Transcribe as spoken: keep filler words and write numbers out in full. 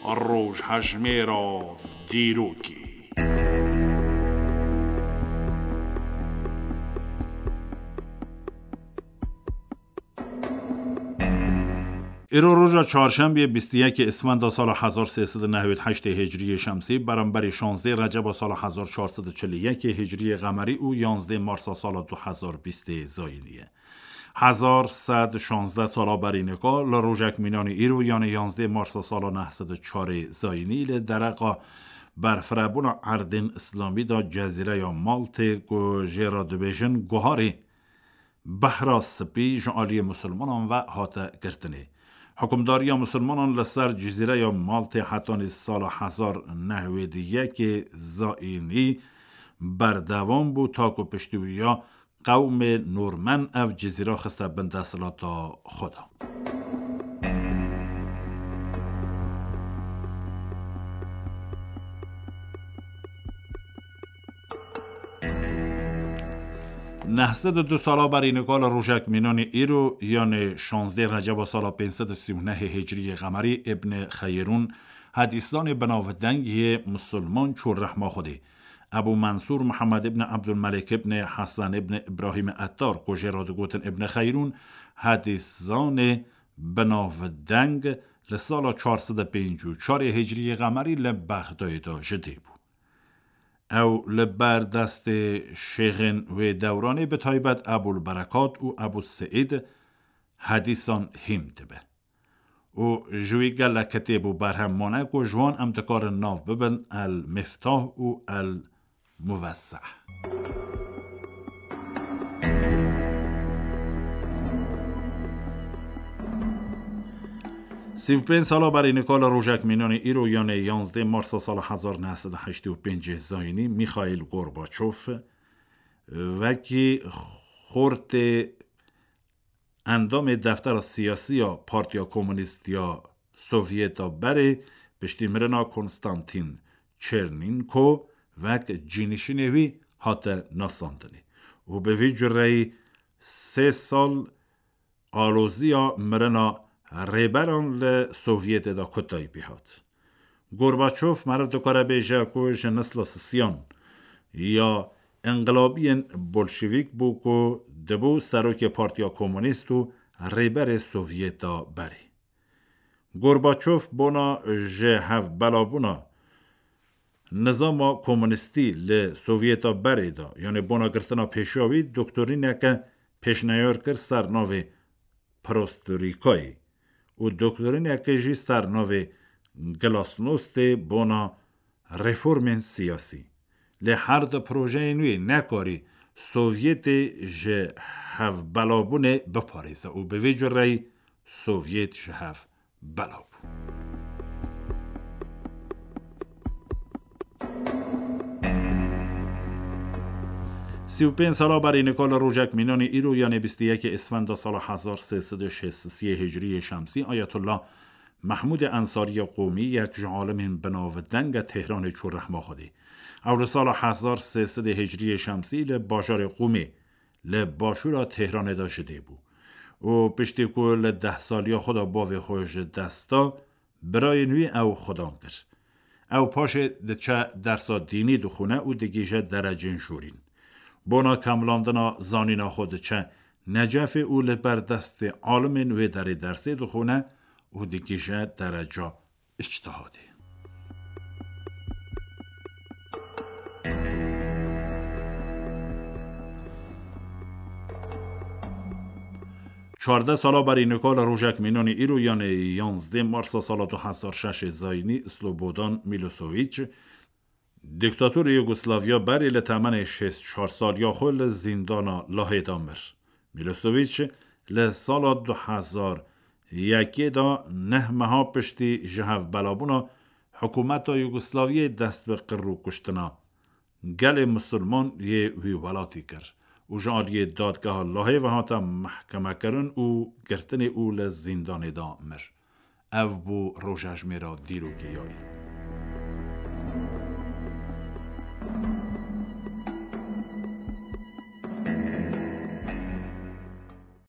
Rojhejmêra dîrokê. Îro roja çarşembiyê bîst û yekê Isfenda sala hezar sê sed û newêd heştê Hicriyê Şemsî, beramberî şazdê Receba sala hezar çar sed û çil û yekê Hicriyê Qemerî û yanzdê Marsa sala du hezar bîstê Zayînî ye. Hezar sed şazdeh sala berî nika li rojek mînanî îro, yanê yanzdê Marsa sala neh sed û çarê Zayînî, li dereqa berfirebûna erdên Îslamî de cezîreya Maltê, ku jê re dibêjin Guharê Behra Spî, ji aliyê misilmanan ve hate girtinê. Hukimdariya misilmanan li ser cizîreya Maltê hetanî sala hezar neh sed û yekê Zayînî berdewam bû, ta ku piştî wî ya qewmê Norman ev cizîra xiste bin desthilata xwe de. Neh sed û du sala berî nika li rojek mînanî îro, yanê şazdê Receba sala pênc sed û sî û nehê Hicriyê Qemerî, Îbn Xeyirûn, hedîsanê binavdeng yê misilman çû rehma Xwedê. Ebû Mensûr Mihemed îbn Ebdulmelek îbn Hesen îbn Îbrahîm Ettar, ku jê re digotin Îbn Xeyirûn, hedîsanê binavdeng, li sala çar sed û pêncî û çarê Hicriyê Qemerî li Bexdayê de ji dê bû. Ew li ber destê şêxên wê dewranê, bi taybet Ebûl Berekat û Ebû Seîd, hedîsan hîm dibe. Û ji wî gelek kitêb û berhem mane ku ji wan em dikarin nav bibin El Miftah û El Muvesseh. Sî û pênc sala berî nika li rojek mînanî îro, yanê yanzdê Marsa sala hezar neh sed û heştê û pêncê Zayînî, Mîxaîl Gorbaçov, wekî xortê endamê deftera siyasî ya Partiya Komûnîst ya Sovyeta berê, piştî mirina Konstantîn Çernînko, wek cînişînê wî hate nasandinê û bi vî cureyî sê sal aloziya mirina rêberan li Sovyetê de kutayî pê hat. Gorbaçov meriv dikare bêje ku ji nesla sisiyan ya înqilabiyên bolşevîk bû ku dibû serokê Partiya Komûnîst û rêberê Sovyeta berê. Gorbaçov bona ji hevbelabûna nizama komûnîstî li Sovyeta berê de, yanê bona girtina pêşiya wî, doktorîneke pêşniyar kir ser navê Perestrîkayê û doktorîneke jî ser navê Glasnostê bona reformên siyasî. Lê her du projeyên wî nekarî Sovyetê ji hevbelabûnê biparêze û bi vê cureyî Sovyet ji hev bela bû. Sî û pênc sala berî nika li rojek mînanî îro, yanê bîst û yekê Îsfenda sala hezar sê sed û şêst û sê Hicriyê Şemsî, Ayetullah Mehmûdê Ensariya Qûmî, yek ji alimên binavdeng e Tehranê, çû rehma Xwedê. Ew li sala hezar sê sed Hicriyê Şemsî li bajarê Qûmê li başûra Tehranê de ji dê bû û piştî ku li deh saliya xwe de bavê xwe ji dest da, birayên wî ew xwedan kir. Ew paşê diçe dersa dînî dixwîne û digihîje derecên şûrîn. Bona kemlandina zanîna xwe diçe Necefê û li ber destê alimên wê derê dersê dixwîne û digihîje dereca îçtihadê. Çardeh sala berî nika li rojek mînanî îro, yanê yanzdê Marsa sala du hezar şeşê Zayînî, Slobodan Milosevic, dîktatorê Yugoslavya berê, li temenê şêst û çar saliya xwe li zîndana Lahê de mir. Milosevic li sala du hezar yekê de, neh meha piştî ji hevbelabûna hikûmeta Yugoslavyayê, dest bi qir û kuştina gelê misilman yê wî welatî kir û ji aliyê dadgeha Lahê ve hate mehkemekirin û girtinê û li zîndanê de mir. Ev bû rojejmêra dîrokê ya îro.